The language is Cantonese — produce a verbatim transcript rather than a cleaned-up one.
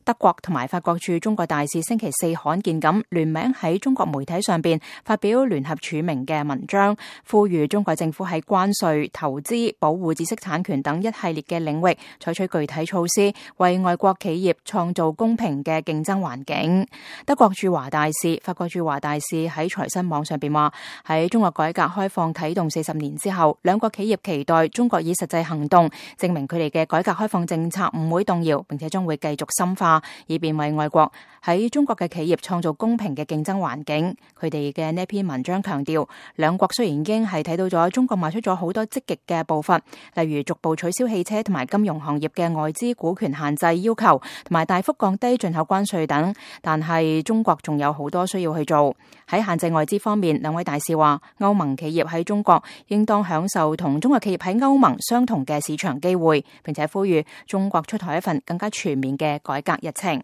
德國同埋法國駐中國大使星期四罕見咁聯名喺中國媒體上邊發表聯合署名嘅文章，呼籲中國政府喺關稅、投資、保護知識產權等一系列嘅領域採取具體措施，為外國企業創造公平嘅競爭環境。德國駐華大使、法國駐華大使喺財新網上邊話：喺中國改革開放啟動四十年之後，兩國企業期待中國以實際行動證明佢哋嘅改革開放政策唔會動搖，並且將會繼續深化，以便為外國喺中國嘅企業創造公平嘅競爭環境。佢哋嘅呢篇文章強調，兩國雖然已經係睇到咗中國邁出咗好多積極嘅步伐，例如逐步取消汽車同埋金融行業嘅外資股權限制要求，同埋大幅降低進口關稅等，但係中國仲有好多需要去做。喺限制外資方面，兩位大使話，歐盟企業喺中國應當享受同中國企業喺歐盟相同嘅市場機會，並且呼籲中國出台一份更加全面嘅改革日程。